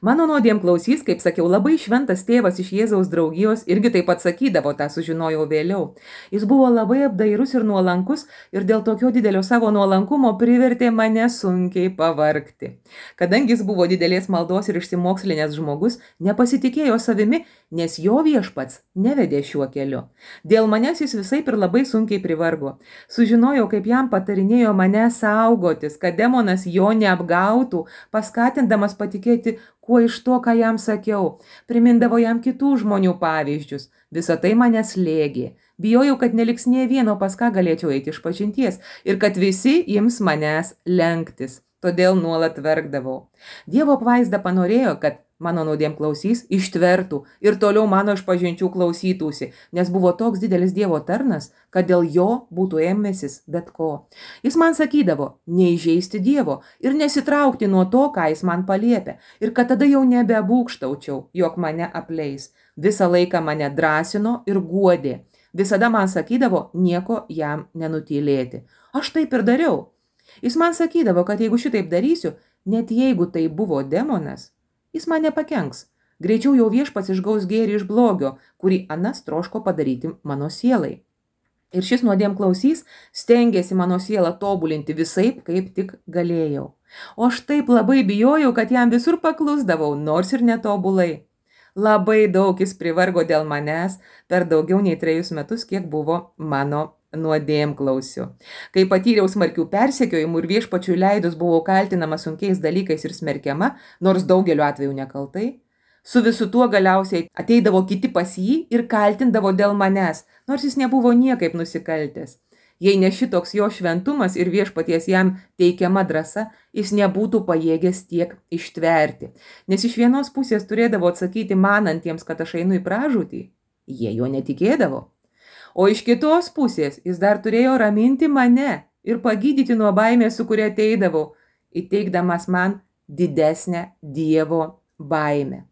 mano nuodėmklausys, kaip sakiau, labai šventas tėvas iš Jėzaus draugijos, irgi taip pat sakydavo, tą sužinojau vėliau. Jis buvo labai apdairus ir nuolankus ir dėl tokio didelio savo nuolankumo privertė mane sunkiai pavargti. Kadangi jis buvo didelės maldos ir išsimokslinęs žmogus, nepasitikėjo savimi, nes jo viešpats nevedė šiuo keliu. Dėl manęs jis visaip ir labai sunkiai privargo. Sužinojau, kaip jam patarinėjo mane saugotis, kad demonas jo neapgautų, paskatindamas patikėti, kuo iš to, ką jam sakiau. Primindavo jam kitų žmonių pavyzdžius. Visa tai mane slėgė. Bijojau, kad neliks nė vieno, pas ką galėčiau eiti iš pažinties ir kad visi ims manęs lenktis. Todėl nuolat verkdavau. Dievo apvaizda panorėjo, kad mano nuodėmklausys ištvertų ir toliau mano išpažinčių klausytųsi, nes buvo toks didelis Dievo tarnas, kad dėl jo būtų ėmęsis bet ko. Jis man sakydavo, neįžeisti Dievo ir nesitraukti nuo to, ką jis man paliepė, ir kad tada jau nebebūkštaučiau, jog mane apleis. Visą laiką mane drąsino ir guodė. Visada man sakydavo, nieko jam nenutylėti. Aš taip ir dariau. Jis man sakydavo, kad jeigu šitaip darysiu, net jeigu tai buvo demonas, jis man nepakenks. Greičiau jau viešpats išgaus gėrį iš blogio, kurį anas troško padaryti mano sielai. Ir šis nuodėmklausys stengėsi mano sielą tobulinti visaip, kaip tik galėjau. O aš taip labai bijojau, kad jam visur paklusdavau, nors ir netobulai. Labai daug jis privargo dėl manęs per daugiau nei trejus metus, kiek buvo mano nuodėmklausiu. Kai patyriau smarkių persekiojimų ir viešpačiui leidus buvau kaltinama sunkiais dalykais ir smerkiama, nors daugeliu atveju nekaltai, su visu tuo galiausiai ateidavo kiti pas jį ir kaltindavo dėl manęs, nors jis nebuvo niekaip nusikaltęs. Jei ne šitoks jo šventumas ir viešpaties jam teikiama drąsa, jis nebūtų pajėgęs tiek ištverti. Nes iš vienos pusės turėdavo atsakyti manantiems, kad aš einu į pražūtį, jie jo netikėdavo. O iš kitos pusės jis dar turėjo raminti mane ir pagydyti nuo baimės, su kuria ateidavau, įteikdamas man didesnę Dievo baimę.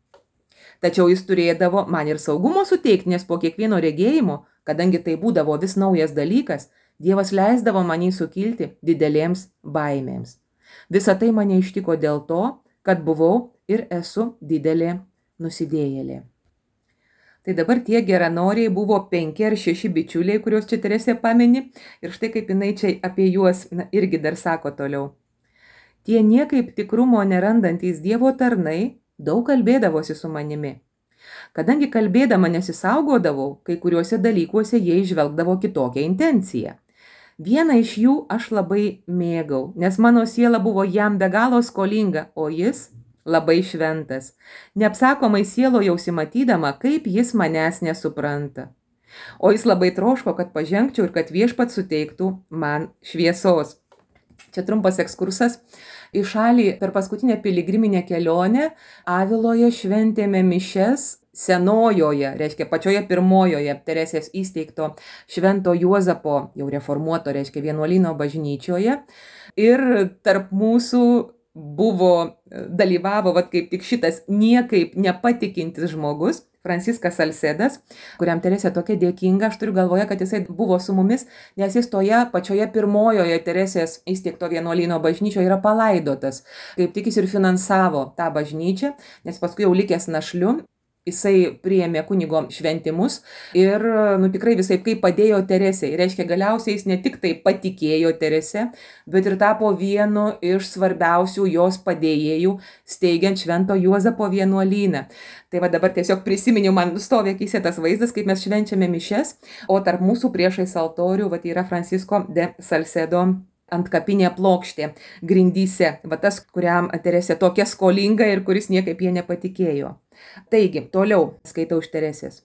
Tačiau jis turėdavo man ir saugumo suteikti, nes po kiekvieno regėjimo, kadangi tai būdavo vis naujas dalykas, Dievas leisdavo manį sukilti didelėms baimėms. Visa tai mane ištiko dėl to, kad buvau ir esu didelė nusidėjėlė. Tai dabar tie geranoriai buvo penki ar šeši bičiuliai, kuriuos čia Teresė pamini, ir štai kaip jinai čia apie juos na, irgi dar sako toliau. Tie niekaip tikrumo nerandantys Dievo tarnai daug kalbėdavosi su manimi. Kadangi kalbėdama nesisaugodavau, kai kuriuose dalykuose jie įžvelgdavo kitokią intenciją. Vieną iš jų aš labai mėgau, nes mano siela buvo jam be galo skolinga, o jis labai šventas. Neapsakomai sielojausi matydama, kaip jis manęs nesupranta. O jis labai troško, kad pažengčiau ir kad viešpats suteiktų man šviesos. Čia trumpas ekskursas. Į šalį per paskutinę piligriminę kelionę Aviloje šventėme mišes senojoje, reiškia pačioje pirmojoje Teresės įsteigto Švento Juozapo, jau reformuoto, reiškia vienuolyno bažnyčioje. Ir tarp mūsų buvo, dalyvavo vat, kaip tik šitas niekaip nepatikintis žmogus, Franciskas Salcedas, kuriam Teresė tokia dėkinga, aš turiu galvoje, kad jisai buvo su mumis, nes jis toje pačioje pirmojoje Teresės įsteigto vienuolyno bažnyčioje yra palaidotas. Kaip tik jis ir finansavo tą bažnyčią, nes paskui jau likęs našliu, jisai priėmė kunigo šventimus ir nu, tikrai visai kaip padėjo Teresei. Reiškia, galiausiai jis ne tik tai patikėjo Terese, bet ir tapo vienu iš svarbiausių jos padėjėjų steigiant Švento Juozapo vienuolyną. Tai va dabar tiesiog prisiminiau, man stovi akyse tas vaizdas, kaip mes švenčiame mišes, o tarp mūsų priešais altorių va, yra Francisco de Salcedo antkapinė plokštė grindyse. Va tas, kuriam Teresė tokia skolinga ir kuris niekaip jie nepatikėjo. Taigi, toliau skaitau iš Teresės.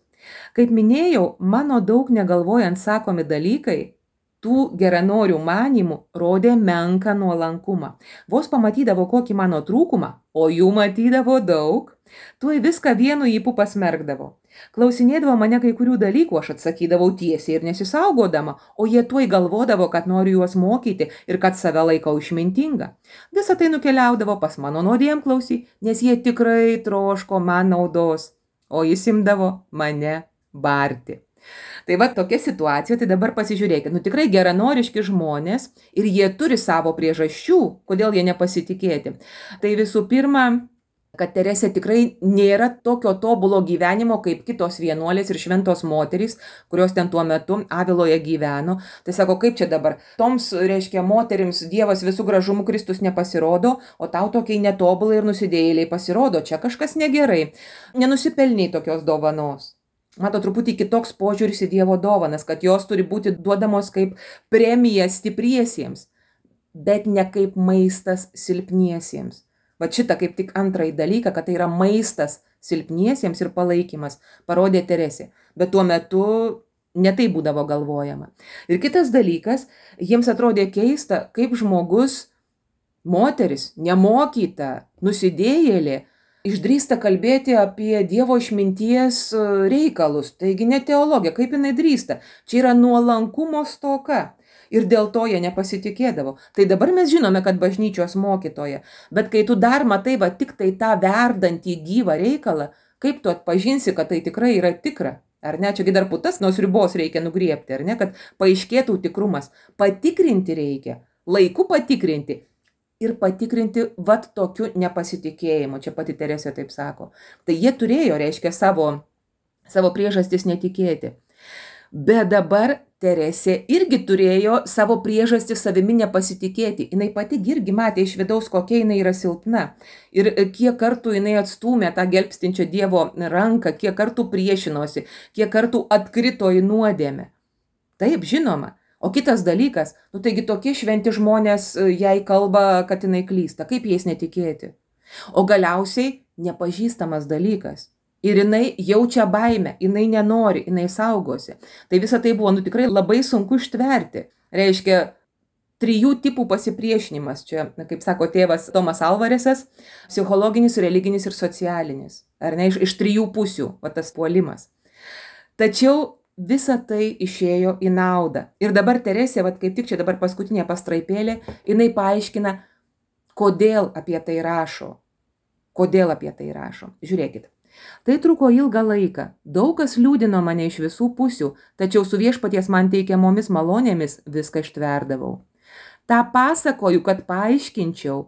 Kaip minėjau, mano daug negalvojant sakomi dalykai, tų geranorių manymų rodė menką nuolankumą. Vos pamatydavo kokį mano trūkumą, o jų matydavo daug, tuoj viską vienu ypu pasmerkdavo. Klausinėdavo mane kai kurių dalykų, aš atsakydavau tiesiai ir nesisaugodama, o jie tuoj galvodavo, kad noriu juos mokyti ir kad save laikau išmintinga. Visą tai nukeliaudavo pas mano nuodėmklausį, nes jie tikrai troško man naudos, o jis imdavo mane barti. Tai va tokia situacija, tai dabar pasižiūrėkit, nu tikrai geranoriški žmonės ir jie turi savo priežasčių, kodėl jie nepasitikėti. Tai visų pirma, kad Teresė tikrai nėra tokio tobulo gyvenimo kaip kitos vienuolės ir šventos moterys, kurios ten tuo metu Aviloje gyveno. Tai sako, kaip čia dabar? Toms, reiškia, moterims Dievas visų gražumų Kristus nepasirodo, o tau tokiai netobulai ir nusidėjėliai pasirodo. Čia kažkas negerai. Nenusipelniai tokios dovanos. Mato, truputį kitoks požiūris į Dievo dovanas, kad jos turi būti duodamos kaip premija stipriesiems, bet ne kaip maistas silpniesiems. Va šitą kaip tik antrąjį dalyką, kad tai yra maistas silpniesiems ir palaikymas, parodė Teresė. Bet tuo metu ne tai būdavo galvojama. Ir kitas dalykas, jiems atrodė keista, kaip žmogus, moteris, nemokyta, nusidėjėlė, išdrįsta kalbėti apie Dievo išminties reikalus. Taigi ne teologija, kaip jinai drįsta. Čia yra nuolankumo stoka. Ir dėl to jie nepasitikėdavo. Tai dabar mes žinome, kad bažnyčios mokytoja. Bet kai tu dar matai va tik tai tą verdantį gyvą reikalą, kaip tu atpažinsi, kad tai tikrai yra tikra? Ar ne? Čiagi dar putas nuo ribos reikia nugriebti, ar ne? Kad paaiškėtų tikrumas. Patikrinti reikia. Laiku patikrinti. Ir patikrinti vat tokiu nepasitikėjimu. Čia pati Teresė taip sako. Tai jie turėjo, reiškia, savo, savo priežastis netikėti. Bet dabar Teresė irgi turėjo savo priežastį savimi nepasitikėti. Jinai pati irgi matė iš vidaus, kokia jinai yra silpna. Ir kiek kartų jinai atstūmė tą gelbstinčią Dievo ranką, kiek kartų priešinosi, kiek kartų atkrito į nuodėmę. Taip, žinoma. O kitas dalykas, nu taigi tokie šventi žmonės jai kalba, kad jinai klysta, kaip jais netikėti. O galiausiai nepažįstamas dalykas. Ir jinai jaučia baimę, jinai nenori, jinai saugosi. Tai visa tai buvo nu, tikrai labai sunku ištverti. Reiškia, trijų tipų pasipriešinimas. Čia, kaip sako tėvas Tomas Alvaresas, psichologinis, religinis ir socialinis. Ar ne, iš, iš trijų pusių, va tas puolimas. Tačiau visa tai išėjo į naudą. Ir dabar Teresė, va kaip tik čia dabar paskutinė pastraipėlė, jinai paaiškina, kodėl apie tai rašo. Kodėl apie tai rašo. Žiūrėkit. Tai truko ilgą laiką. Daug kas liūdino mane iš visų pusių, tačiau su viešpaties man teikiamomis malonėmis viską ištverdavau. Ta pasakoju, kad paaiškinčiau,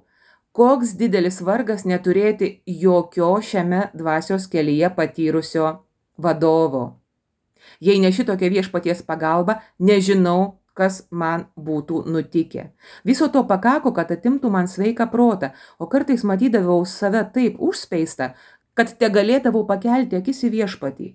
koks didelis vargas neturėti jokio šiame dvasios kelyje patyrusio vadovo. Jei ne šitokia viešpaties pagalba, nežinau, kas man būtų nutikę. Viso to pakako, kad atimtų man sveiką protą, o kartais matydavau save taip užspeistą, kad te galėdavau pakelti akis į viešpatį.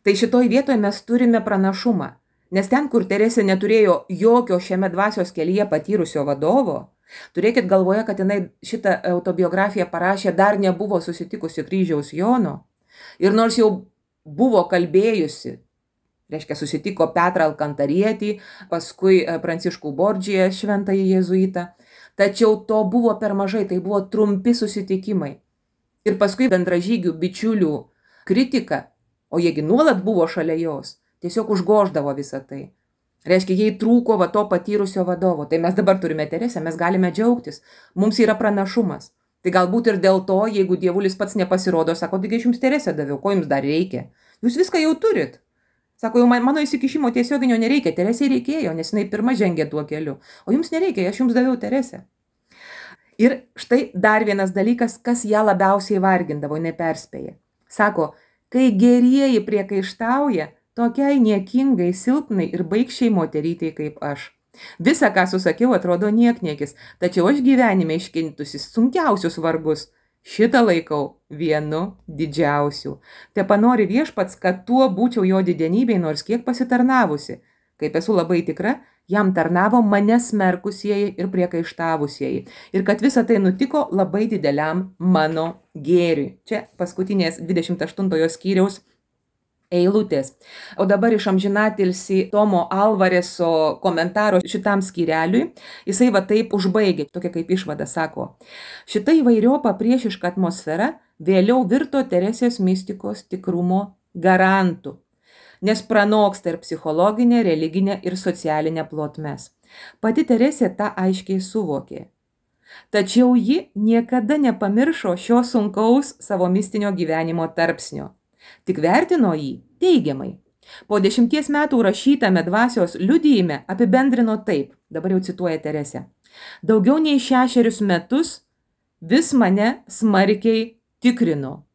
Tai šitoj vietoje mes turime pranašumą, nes ten, kur Teresė neturėjo jokio šiame dvasios kelyje patyrusio vadovo, turėkit galvoje, kad jinai šitą autobiografiją parašė dar nebuvo susitikusi kryžiaus Jono, ir nors jau buvo kalbėjusi, reiškia susitiko Petrą Alkantarietį, paskui Pranciškų Bordžiją, šventąjį jėzuitą, tačiau to buvo per mažai, tai buvo trumpi susitikimai. Ir paskui bendražygių, bičiulių kritika, o jiegi nuolat buvo šalia jos, tiesiog užgoždavo visą tai. Reiškia, jai trūko va to patyrusio vadovo. Tai mes dabar turime Teresę, mes galime džiaugtis, mums yra pranašumas. Tai galbūt ir dėl to, jeigu dievulis pats nepasirodo, sako, taigi aš jums Teresę daviau, ko jums dar reikia? Jūs viską jau turit. Sako, jau man, mano įsikišimo tiesioginio nereikia, Teresei reikėjo, nes jinai pirma žengė tuo keliu. O jums nereikia, aš jums daviau Teresę. Ir štai dar vienas dalykas, kas ją labiausiai vargindavo, jinai perspėja. Sako, kai gerieji priekaištauja, tokiai niekingai, silpnai ir baikščiai moterytei kaip aš. Visa, ką susakiau, atrodo niekniekis, tačiau aš gyvenime iškentusi sunkiausius vargus. Šitą laikau vienu didžiausių. Te panori viešpats, kad tuo būčiau jo didenybei nors kiek pasitarnavusi. Kaip esu labai tikra, jam tarnavo mane smerkusieji ir priekaištavusieji. Ir kad visa tai nutiko labai dideliam mano gėriui. Čia paskutinės dvidešimt aštuntojo skyriaus eilutės. O dabar iš amžinatilsį Tomo Alvareso komentaro šitam skyreliui, jisai va taip užbaigė, tokia kaip išvada sako. Šita įvairiopa priešiška atmosfera vėliau virto Teresės mistikos tikrumo garantų, nes pranoksta ir psichologinė, religinė ir socialinė plotmes. Pati Teresė tą aiškiai suvokė. Tačiau ji niekada nepamiršo šio sunkaus savo mistinio gyvenimo tarpsnio. Tik vertino jį teigiamai. Po dešimties metų rašytame dvasios liudijime apibendrino taip, dabar jau cituoja Teresė. Daugiau nei šešerius metus vis mane smarkiai tikrino.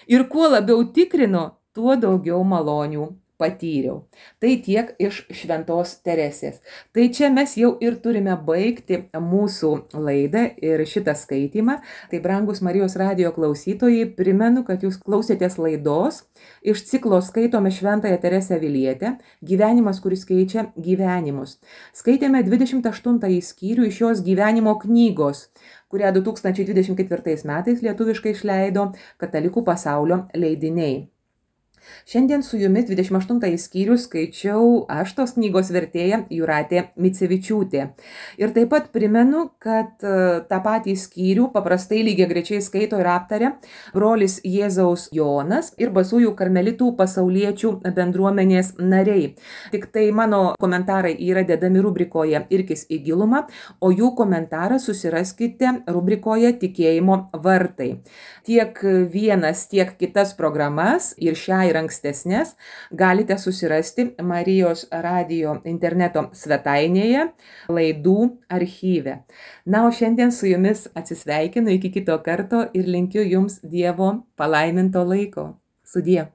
Ir kuo labiau tikrino, tuo daugiau malonių patyriau. Tai tiek iš šventos Teresės. Tai čia mes jau ir turime baigti mūsų laidą ir šitą skaitymą. Tai brangus Marijos radijo klausytojai, primenu, kad jūs klausėtės laidos iš ciklo Skaitome šventąją Teresę Avilietę, gyvenimas, kuris keičia gyvenimus. Skaitėme dvidešimt aštuntąjį skyrių iš jos gyvenimo knygos, kurią du tūkstančiai dvidešimt ketvirtais metais lietuviškai išleido Katalikų pasaulio leidiniai. Šiandien su jumis dvidešimt aštuntąjį skyrių skaičiau aš tos knygos vertėja Jūratė Micevičiūtė. Ir taip pat primenu, kad tą patį skyrių paprastai lygiagrečiai skaito ir aptaria brolis Jėzaus Jonas ir Basųjų karmelitų pasauliečių bendruomenės nariai. Tik tai mano komentarai yra dedami rubrikoje Irkis į gilumą, o jų komentarą susiraskite rubrikoje Tikėjimo vartai. Tiek vienas, tiek kitas programas ir šią ir ankstesnės galite susirasti Marijos radijo interneto svetainėje laidų archyve. Na, o šiandien su jumis atsisveikinu iki kito karto ir linkiu jums Dievo palaiminto laiko. Sudie.